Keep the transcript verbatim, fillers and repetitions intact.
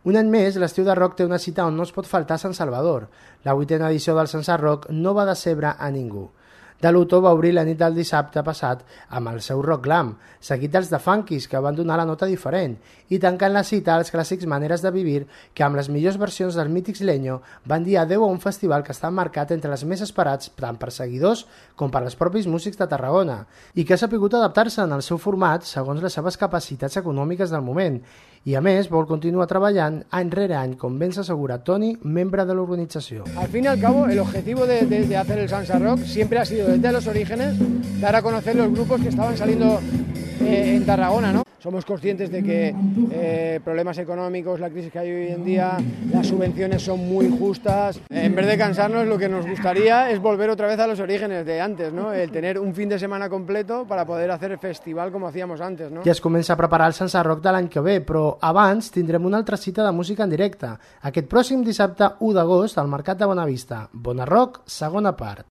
Un any més, l'estiu de rock té una cita on no es pot faltar a Sant Salvador. La vuitena edició del Sansa Rock no va decebre a ningú. De Luto va obrir la nit del dissabte passat amb el seu rock glam, seguit dels de Funkies, que van donar la nota diferent, i tancant la cita als clàssics Maneres de Vivir, que amb les millors versions dels mítics Leño van dir adeu a un festival que està marcat entre els més esperats tant per seguidors com per als propis músics de Tarragona, i que ha sapigut adaptar-se en el seu format segons les seves capacitats econòmiques del moment, i a més vol continuar treballant any rere any, com ben s'assegura Toni, membre de l'organització. Al fin y al cabo, el objetivo de, de, de hacer el Sansa Rock siempre ha sido desde los orígenes dar a conocer los grupos que estaban saliendo eh, en Tarragona, ¿no? Somos conscientes de que eh, problemas económicos, la crisis que hay hoy en día, las subvenciones son muy justas. En vez de cansarnos, lo que nos gustaría es volver otra vez a los orígenes de antes, ¿no? El tener un fin de semana completo para poder hacer el festival como hacíamos antes, ¿no? Ja es comença a preparar el Sansa Rock de l'any que ve, però abans tindrem una altra cita de música en directe. Aquest pròxim dissabte u d'agost al Mercat de Bonavista. Bona Rock, segona part.